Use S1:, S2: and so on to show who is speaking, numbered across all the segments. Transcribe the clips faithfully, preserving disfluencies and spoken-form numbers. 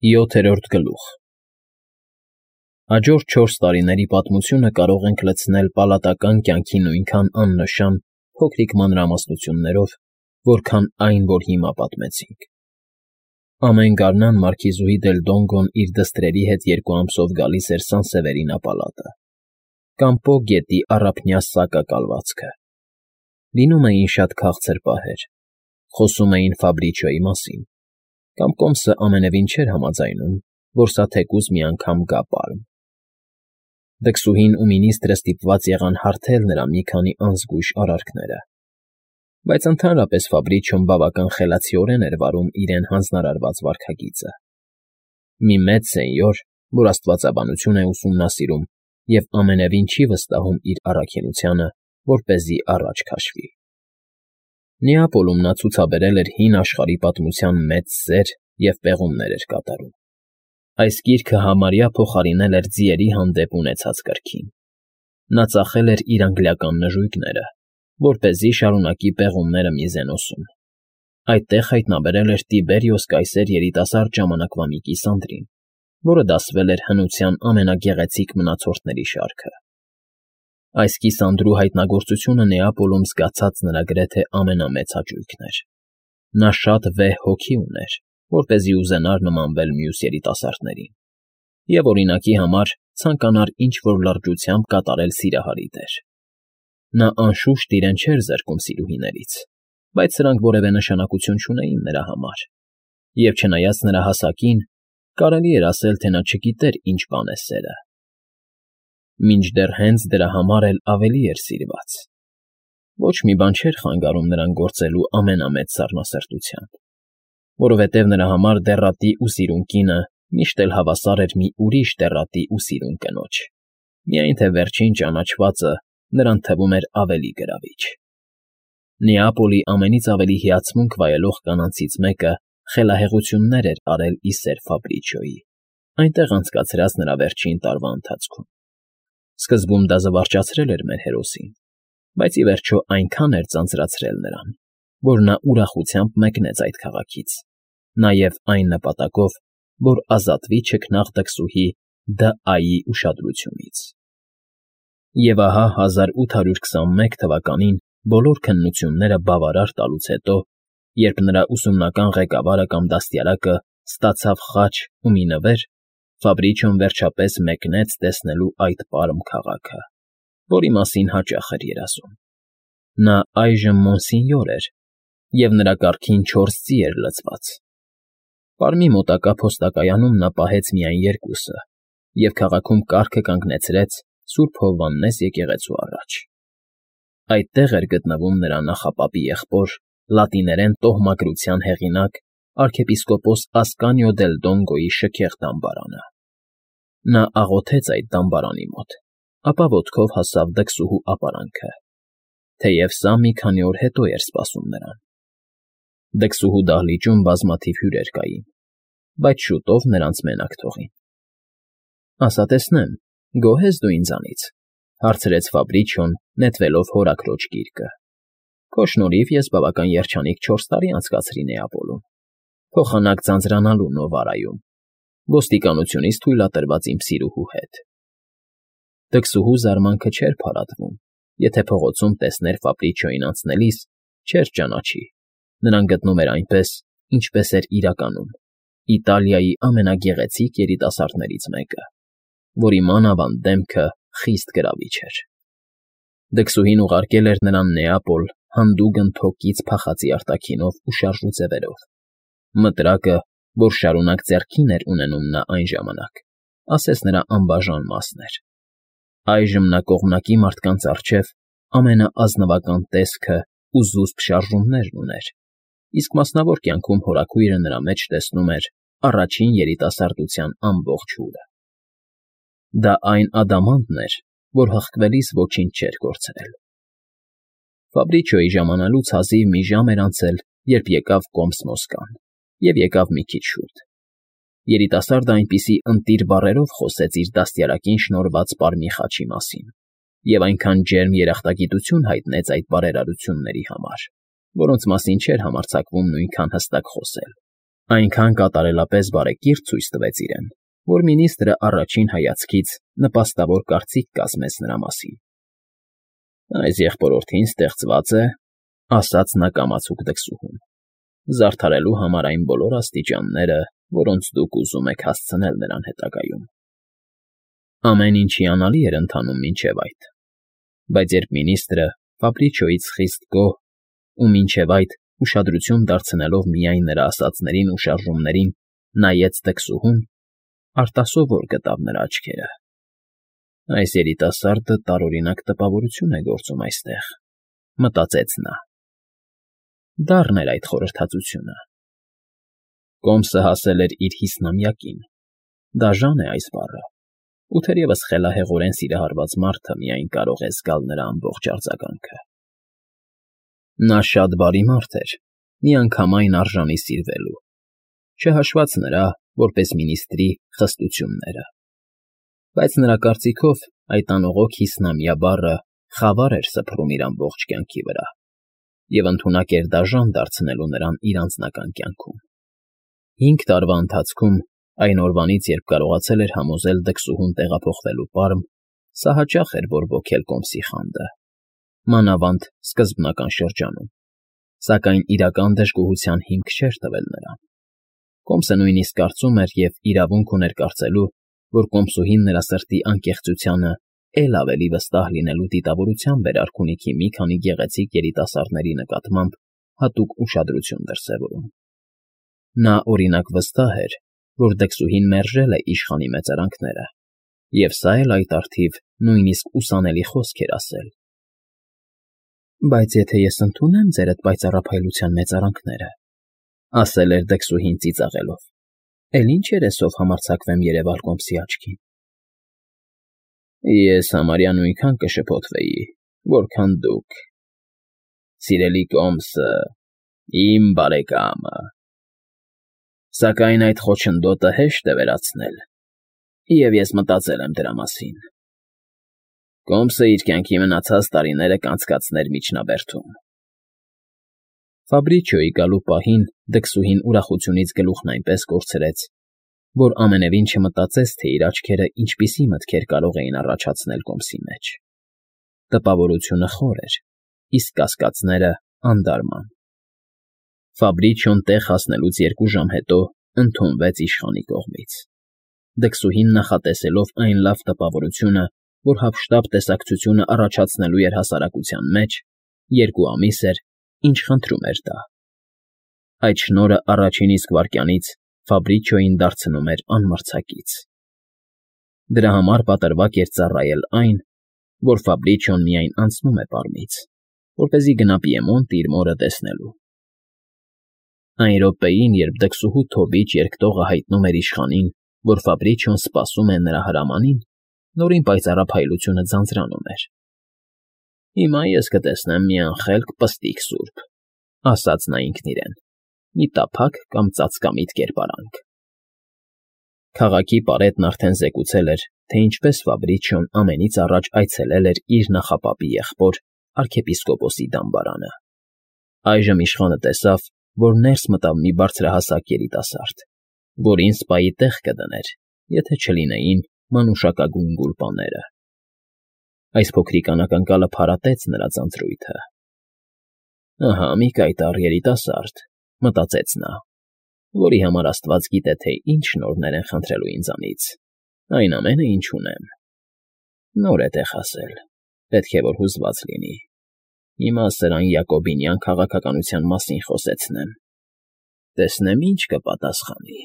S1: Յոթերորդ գլուխ Հաջորդ չորս տարիների պատմությունը կարող ենք լցնել պալատական կյանքի նույնքան աննշան փոքրիկ մանրամասնություններով, որքան այն, որ հիմա պատմեցինք. Ամեն գարնան մարքիզուհի դել Դոնգոն իր դստրերի հետ երկու ամսով գալիս էր Սանսևերինա պալատը, կամ Պո գետի առափնյա սակակալվածքը. լինում էին շատ քաղցր պահեր, խոսում էին Ֆաբրիչոյի մասին, կամ կոմսը ամենևին չէր համաձայնում, որ սա թեկուզ մի անգամ գա պարմ. Դքսուհին ու մինիստրը ստիպված եղան հարթել նրա մի քանի անզգույշ արարքները, բայց ընդհանրապես Ֆաբրիչոն բավական խելացիորեն էր վարում իրեն հանձնարարված վարքագիծը. մի մեծ սենյոր, որ աստվածաբանություն է ուսումնասիրում և ամենևին չի վստահում իր առաքինությանը, որպեսզի առաջ քաշվի. Նեապոլում նա ցուցաբերել էր հին աշխարհի պատմության մեծ սեր և պեղումներ էր կատարում. այս գիրքը համարյա փոխարինել էր ձիերի հանդեպ ունեցած կրքին. նա ծախել էր իր անգլիական նժույգները, որպեսզի շարունակի պեղումները Միզենոսում, այդտեղ հայտնաբերել էր Տիբերիոս կայսեր երիտասարդ ժամանակվա մի կիսանդրին, որը դասվել էր հնության ամենագեղեցիկ մնացորդների շարքը. Այս կիսանդրու հայտնագործությունը Նեապոլում զգացած նրա գրեթե ամենամեծ հաճույքն էր. նա շատ վեհ հոգի ուներ, որպեսզի ուզենար նմանվել մյուս երիտասարդներին, և, օրինակի համար, ցանկանար ինչ֊որ լրջությամբ կատարել սիրահարի դեր. նա անշուշտ իրեն չէր զրկում սիրուհիներից, բայց սրանք որևէ նշանակություն չունեին նրա համար, և չնայած նրա հասակին, կարելի էր ասել, թե նա չգիտեր ինչ բան է սերը. մինչդեռ հենց դրա համար էլ ավելի էր սիրված. ոչ մի բան չէր խանգարում նրան գործելու ամենամեծ սառնասրտությամբ, որովհետև նրա համար դեռատի ու սիրուն կինը միշտ էլ հավասար էր մի ուրիշ դեռատի ու սիրուն կնոջ, միայն թե վերջին ճանաչվածը նրան թվում էր ավելի գրավիչ. Նեապոլի ամենից ավելի հիացմունք վայելող կանանցից մեկը խելահեղություններ էր արել ի սեր Ֆաբրիչոյի, այնտեղ անցկացրած նրա վերջին տարվա ընթացքում. Սկզբում դա զվարճացրել էր մեր հերոսին, բայց ի վերջո այնքան էր ձանձրացրել նրան, որ նա ուրախությամբ մեկնեց այդ քաղաքից, նաև այն նպատակով, որ ազատվի չքնաղ դքսուհի Դ.Ա.֊ի ուշադրությունից։ Եվ ահա հազար ութ հարյուր քսանմեկ թվականին բոլոր քննությունները բավարար տալուց հետո, երբ նրա ուսումնական ղեկավարը կամ դաստիարակը ստացավ խաչ ու մի նվեր, Ֆաբրիչոն վերջապես մեկնեց տեսնելու այդ պարմ քաղաքը, որի մասին հաճախ էր երազում. նա այժմ Մոնսինյոր էր, և նրա կառքին չորս ծի էր լցված. պարմի մոտակա փոստակայանում նա պահեց միայն երկուսը և քաղաքում կառքը կանգնեցրեց Սուրբ Հովհաննես եկեղեցու առաջ. այդտեղ էր գտնվում նրա նախապապի եղբոր, լատիներեն տոհմակրության հեղինակ արքեպիսկոպոս Ասկանիո դել Դոնգոյի շքեղ դամբարանը. նա աղոթեց այդ դամբարանի մոտ, ապա ոտքով հասավ դքսուհու ապարանքը, թեև սա մի քանի օր հետո էր սպասում նրան. Դքսուհու դահլիճում բազմաթիվ հյուրեր կային, բայց շուտով նրանց մենակ թողին։ ասա տեսնեմ, գոհ ես դու ինձանից, հարցրեց Ֆաբրիչոն, նետվելով հորաքրոջ գիրկը. քո շնորհիվ ես բավական երջանիկ չորս տարի անցկացրի Նեապոլում, փոխանակ ձանձրանալու Նովարայում, ոստիկանությունից թույլատրված իմ սիրուհու հետ։ Դքսուհու զարմանքը չէր փարատվում, եթե փողոցում տեսներ Ֆաբրիչոյին անցնելիս, չէր ճանաչի, նրան գտնում էր այնպես, ինչպես էր իրականում, Իտալիայի ամենագեղեցիկ երիտասարդներից մեկը, որի մանավանդ դեմքը խիստ գրավիչ էր։ Դքսուհին ուղարկել էր նրան Նեապոլ հանդուգն թոկից փախածի արտաքինով ու շարժու ձևերով, մտրակը, որ շարունակ ձեռքին էր ունենում նա այն ժամանակ, ասես նրա անբաժան մասն էր։ Այժմ նա կողմնակի մարդկանց առջև ամենաազնվական տեսքը ու զուսպ շարժումներն ուներ, իսկ մասնավոր կյանքում հորաքույրը նրա մեջ տեսնում էր առաջին երիտասարդության ամբողջ հուրը։ Դա այն ադամանդն էր, որ հղկվելիս ոչինչ չէր կորցրել։ Ֆաբրիչոյի ժամանալուց հազիվ մի ժամ էր անցել, երբ եկավ կոմս Մոսկան, և եկավ մի քիչ շուտ։ Երիտասարդը այնպիսի ընտիր բառերով խոսեց իր դաստիարակին շնորհված պարմի խաչի մասին, և այնքան ջերմ երախտագիտություն հայտնեց այդ բարերարությունների համար, որոնց մասին չէր համարձակվում նույնքան հստակ խոսել, Այնքան կատարելապես բարեկիրթ ցույց տվեց իրեն, որ մինիստրը առաջին հայացքից նպաստավոր կարծիք կազմեց նրա մասին։ Այս եղբորորդին ստեղծված է, ասաց նա կամացուկ դքսուհուն, զարդարելու համար այն բոլոր աստիճանները, որոնց դուք ուզում եք հասցնել նրան հետագայում։ Ամեն ինչ հիանալի էր ընթանում մինչև այդ, բայց երբ մինիստրը Ֆաբրիչոյից խիստ գոհ ու մինչև այդ ուշադրություն դարձնելով միայն նրա ասածներին ու շարժումներին նայեց դքսուհուն, արտասովոր գտավ նրա աչքերը։ Այս երիտասարդը տարօրինակ տպավորություն է գործում այստեղ, մտածեց նա։ Դառն էր այդ խորհրդածությունը։ Կոմսը հասել էր իր հիսնամյակին, դաժան է այս բառը, ու թերևս խելահեղորեն սիրահարված մարդը միայն կարող է զգալ նրա ամբողջ արձագանքը։ Նա շատ բարի մարդ էր, միանգամայն արժանի սիրվելու, չհաշված նրա, որպես մինիստրի, խստությունները։ Բայց նրա կարծիքով այդ անողոք հիսնամյա բառը խավար էր սփռում իր ամբողջ կյանքի վրա և ընդունակ էր դաժան դարձնելու նրան իր անձնական կյանքում։ Հինգ տարվա ընթացքում, այն օրվանից, երբ կարողացել էր համոզել դքսուհուն տեղափոխվելու պարմ, սա հաճախ էր բորբոքել Կոմսի խանդը, մանավանդ սկզբնական շրջանում, սակայն իրական դժգոհության հիմք չէր տվել նրան։ Կոմսը նույնիսկ կարծում էր և իրավունք ուներ կարծելու, որ կոմսուհին նրա սրտի անկեղծությանը էլ ավելի վստահ լինելու դիտավորությամբ էր արքունիքի մի քանի գեղեցիկ երիտասարդների նկատմամբ հատուկ ուշադրություն դրսևորում։ Նա, օրինակ, վստահ էր, որ դքսուհին մերժել է իշխանի մեծարանքները, և սա էլ այդ առթիվ նույնիսկ ուսանելի խոսք էր ասել։ Բայց եթե ես ընդունեմ ձեր այդ պայծառափայլության մեծարանքները, ասել էր դքսուհին ծիծաղելով, էլ ինչ երեսով համարձակվեմ երևալ Կոմսի աչքին։ Ես համարյա նույնքան կշփոթվեի, որքան դուք, սիրելի Կոմսը, իմ բարեկամը, սակայն այդ խոչընդոտը հեշտ է վերացնել, և ես մտածել եմ դրա մասին։ Կոմսը իր կյանքի մնացած տարիները կանցկացներ միջնաբերդում։ Ֆաբրիչոյի գալու պահին դքսուհին ուրախությունից գլուխն այնպես կորցրեց, որ ամենևին չմտածեց, թե իր աչքերը ինչպիսի մտքեր կարող էին առաջացնել Կոմսի մեջ։ Տպավորությունը խոր էր, իսկ կասկածները՝ անդարման։ Ֆաբրիչոն տեղ հասնելուց երկու ժամ հետո ընդունվեց իշխանի կողմից։ Դքսուհին նախատեսելով այն լավ տպավորությունը, որ հափշտապ տեսակցությունը առաջացնելու էր հասարակության մեջ, երկու ամիս էր, ինչ խնդրում էր դա։ Այդ շնորհը առաջին իսկ վայրկյանից Ֆաբրիչոյին դարձնում էր անմրցակից։ Դրա համար պատրվակ էր ծառայել այն, որ Ֆաբրիչոն միայն անցնում է պարմից, որպեսզի գնա Պիեմոնտ իր մորը տեսնելու։ Այն րոպեին, երբ դքսուհու թոբիչ երկտողը հայտնում էր իշխանին, որ Ֆաբրիչոն սպասում է նրա հրամանին, նորին պայծառափայլությունը ձանձրանում էր։ Հիմա ես կտեսնեմ մի անխելք պստիկ սուրբ, ասաց նա ինքն իրեն, մի տափակ կամ ծածկամիտ կերպարանք։ Քաղաքի պարետն արդեն զեկուցել էր, թե ինչպես Ֆաբրիչոն ամենից առաջ այցելել էր իր նախապապի եղբոր, արքեպիսկոպոսի դամբարանը։ Այժմ իշխանը տեսավ, որ ներս մտավ մի բարձրահասակ երիտասարդ, որին սպայի տեղ կդներ, եթե չլինեին մանուշակագույն գուլպաները։ Այս փոքրիկ անակնկալը փարատեց նրա ձանձրույթը։ Ահա մի կայտառ երիտասարդ, մտածեց նա, որի համար Աստված գիտե, թե ինչ շնորհներ են խնդրելու ինձանից, այն ամենը, ինչ ունեմ։ Նոր է տեղ հասել, պետք է որ հուզված լինի։ Հիմա սրան Յակոբինյան քաղաքականության մասին խոսեցնեմ, տեսնեմ ինչ կպատասխանի։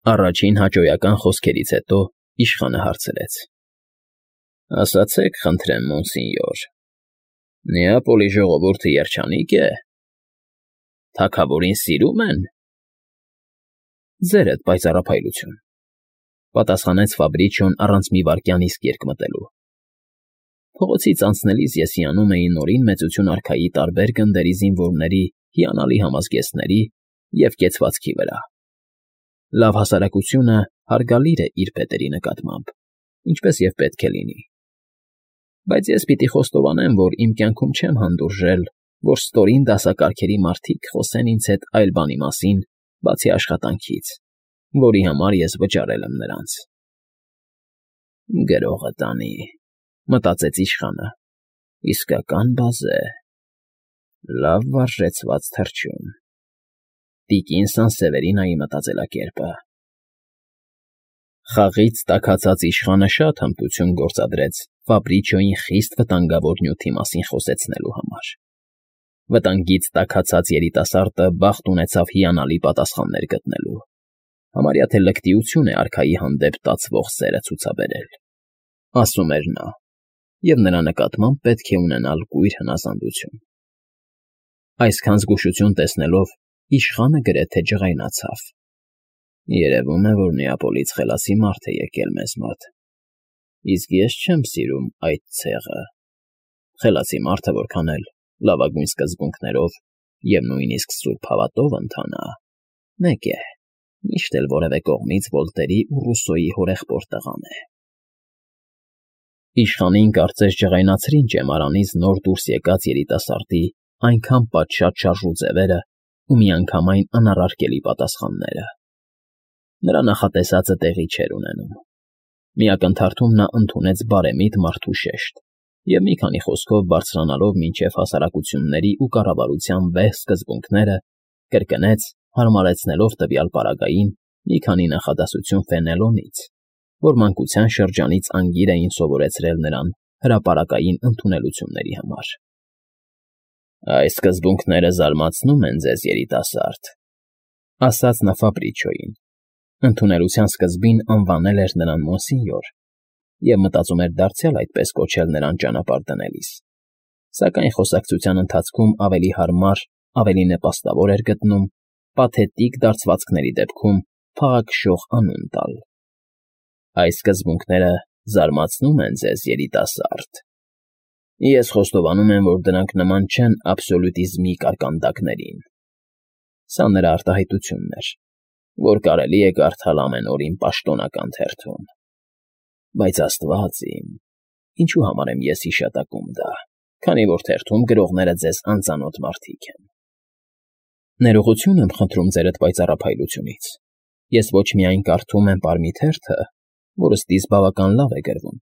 S1: Առաջին հաճոյական խոսքերից հետո իշխանը հարցրեց. Ասացեք, խնդրեմ, մոնսինյոր, Նեապոլի ժողովուրդը երջանիկ է։ Թագավորին սիրում են։ Ձերդ պայծառափայլություն, պատասխանեց Ֆաբրիչոն առանց մի վայրկյան իսկ երկմտելու։ Փողոցից անցնելիս ես հիանում էի նորին մեծություն արքայի տարբեր գնդերի զինվորների հիանալի համազգեստների և կեցվածքի վրա։ Լավ հասարակությունը հարգալիր է իր պետերի նկատմամբ, ինչպես և պետք է լինի։ Բայց ես պիտի խոստովանեմ, որ իմ կյանքում չեմ հանդուրժել որ ստորին դասակարգերի մարդիկ խոսեն ինձ հետ այլ բանի մասին, բացի աշխատանքից, որի համար ես վճարել եմ նրանց։ «Գրողը տանի,֊ մտածեց իշխանը,֊ իսկական բազե, լավ վարժեցված թռչուն, տիկին Սանսևերինայի մտածելակերպը»։ Խաղից տաքացած իշխանը շատ հմտություն գործադրեց Ֆաբրիչոյին խիստ վտանգավոր նյութի մասին խոսեցնելու համար։ Վտանգից տաքացած երիտասարդը բախտ ունեցավ հիանալի պատասխաններ գտնելու, համարյա թե լկտիություն է արքայի հանդեպ տածվող սերը ցուցաբերել, ասում էր նա, և նրա նկատմամբ պետք է ունենալ կույր հնազանդություն։ Այսքան զգուշություն տեսնելով իշխանը գրեթե ջղայնացավ։ Երևում է, որ Նեապոլից խելացի մարդ է եկել մեզ մոտ, իսկ ես չեմ սիրում այդ ցեղը։ Խելացի մարդը որքան էլ լավագույն սկզբունքներով և նույնիսկ սուրբ հավատով ընթանա, մեկ է, միշտ էլ որևէ կողմից Վոլտերի ու Ռուսոյի հորեղբոր տղան է։ Իշխանին կարծես ջղայնացրին ճեմարանից նոր դուրս եկած երիտասարդի այնքան պատշաճ շարժու ձևերը ու միանգամայն անառարկելի պատասխանները։ Նրա նախատեսածը տեղի չէր ունենում։ Մի ակնթարթում նա ընդունեց բարեմիտ մարդու շեշտ և մի քանի խոսքով բարձրանալով մինչև հասարակությունների ու կառավարության վեհ սկզբունքները, կրկնեց, հարմարեցնելով տվյալ պարագային մի քանի նախադասություն Ֆենելոնից, որ մանկության շրջանից անգիր էին սովորեցրել նրան հրապարակային ընդունելությունների համար։ «Այս սկզբունքները զարմացնում են ձեզ, երիտասարդ,֊ ասաց նա Ֆաբրիչոյին, ընդունելության սկզբին անվանել էր նրան Մոնսինյոր և մտածում էր դարձյալ այդպես կոչել նրան ճանապարհ դնելիս, սակայն խոսակցության ընթացքում ավելի հարմար, ավելի նպաստավոր էր գտնում պաթետիկ դարձվածքների դեպքում փաղաքշող անուն տալ։ Այս սկզբունքները զարմացնում են ձեզ, երիտասարդ։ Ես խոստովանում եմ, որ դրանք նման չեն աբսոլյուտիզմի կարկանդակներին։ Սա նրա արտահայտությունն էր, որ կարելի է կարդալ ամեն օր իմ պաշտոնական թերթում։ Բայց աստված իմ, ինչու համար եմ ես հիշատակում դա, քանի որ թերթում գրողները ձեզ անծանոթ մարդիկ են։ Ներողություն եմ խնդրում ձերդ պայծառափայլությունից։ Ես ոչ միայն կարդում եմ պարմի թերթը, որը ստիզ բավական լավ է գրվում,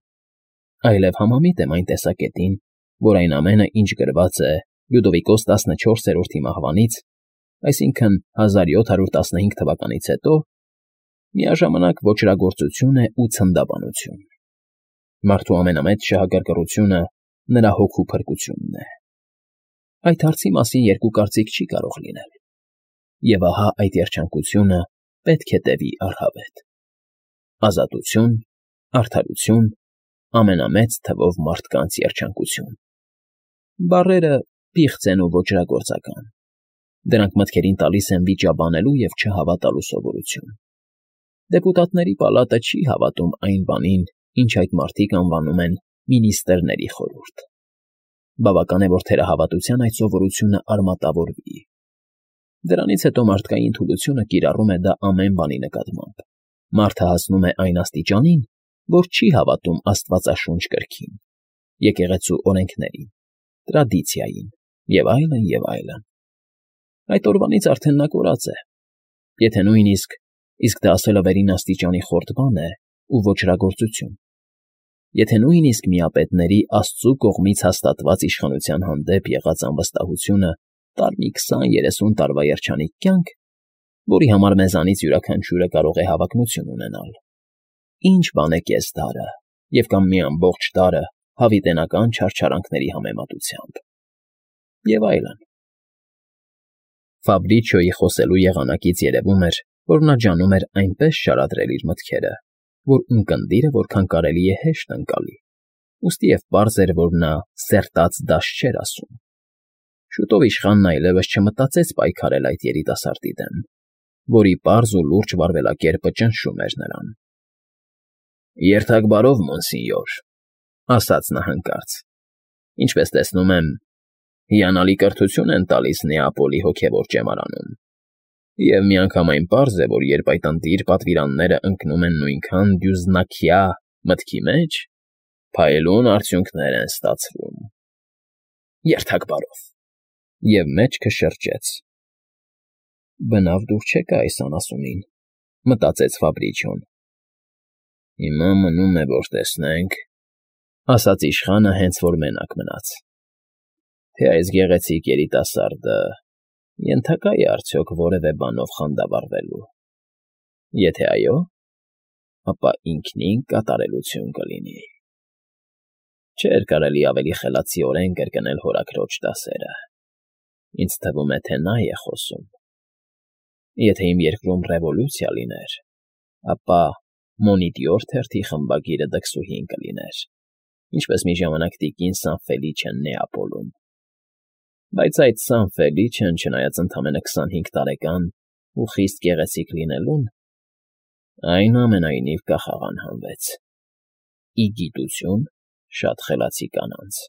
S1: այլև համամիտ եմ այն տեսակետին, որ այն ամենը, ինչ գրված է Լյուդովիկոս տասնչորսերորդի մահվանից, այսինքն հազար յոթ հարյուր տասնհինգ թվականից հետո, միաժամանակ ոճրագործություն է ու ցնդաբանություն։ Մարդու ամենամեծ շահագրգռությունը նրա հոգու փրկությունն է։ Այդ հարցի մասին երկու կարծիք չի կարող լինել։ Եվ ահա այդ երջանկությունը պետք է տևի առհավետ։ Ազատություն, արդարություն, ամենամեծ թվով մարդկանց երջանկություն։ Բառերը պիղծ են ու ոճրագործական։ Դրանք մտքերին տալիս են վիճաբանելու և չհավատալու սովորություն։ Դեպուտատների պալատը չի հավատում այն բանին, ինչ այդ մարդիկ անվանում են մինիստրների խորհուրդ։ Բավական է, որ թերահավատության այդ սովորությունը արմատավորվի։ Դրանից հետո մարդկային թուլությունը կիրառում է դա ամեն բանի նկատմամբ։ Մարդը հասնում է այն աստիճանին, որ չի հավատում աստվածաշունչ կրքին, եկեղեցու օրենքներին, տրադիցիային և այլն, և այլն։ Այդ օրվանից արդեն նա կորած է։ Եթե նույնիսկ, իսկ դա ասելը վերին աստիճանի խորտ բան է ու ոճրագործություն, եթե նույնիսկ միապետների Աստծու կողմից հաստատված իշխանության հանդեպ եղած անվստահությունը տար մի քսան֊երեսուն տարվա երջանիկ կյանք, որի համար մեզանից յուրաքանչյուրը կարող է հավակնություն ունենալ, ինչ բան է կես դարը և կամ մի ամբողջ դարը հավիտենական չարչարանքների համեմատությամբ, և այլն։ Ֆաբրիչոյի խոսելու եղանակից երևում էր, որ նա ջանում էր այնպես շարադրել իր մտքերը, որ ունկնդիրը որքան կարելի է հեշտ ընկալի, ուստիև պարզ էր, որ նա սերտած դաշ չէր ասում։ Շուտով իշխանն այլևս չմտածեց պայքարել այդ երիտասարդի դեմ, որի պարզ ու լուրջ վարվելակերպը ճնշում էր նրան։ «Երթաք բարով, Մոնսինյոր,֊ ասաց նա հանկարծ,֊ ինչպես տեսնում եմ, հիանալի կրթություն են տալիս Նեապոլի հոգևոր ճեմարանում, և միանգամայն պարզ է, որ երբ այդ ընտիր պատվիրանները ընկնում են նույնքան դյուզնաքյա մտքի մեջ, փայլուն արդյունքներ են ստացվում։ Երթաք բարով»։ և մեջքը շրջեց։ «Բնավ դուր չեկա այս անասունին», մտածեց Ֆաբրիչոն։ «Հիմա մնում է, որ տեսնենք,֊ ասաց իշխանը, հենց որ մենակ մնաց,֊ թե այս գեղեցիկ երիտասարդը ենթակա՞ է արդյոք որևէ բանով խանդավառվելու։ Եթե այո, ապա ինքնին կատարելություն կլինի։ Չէր կարելի ավելի խելացիորեն կրկնել հորաքրոջ դասերը։ Ինձ թվում է, թե նա է խոսում։ Եթե իմ երկրում ռևոլյուցիա լիներ, ապա Մոնիտյոր թերթի խմբագիրը դքսուհին կլիներ, ինչպես մի ժամանակ տիկին Սանֆելիչն Նեապոլում։ Բայց այդ Սանֆելիչն, չնայած ընդամենը քսանհինգ տարեկան ու խիստ գեղեցիկ լինելուն, այնուամենայնիվ կախաղան հանվեց՝ ի գիտություն շատ խելացի կանանց»։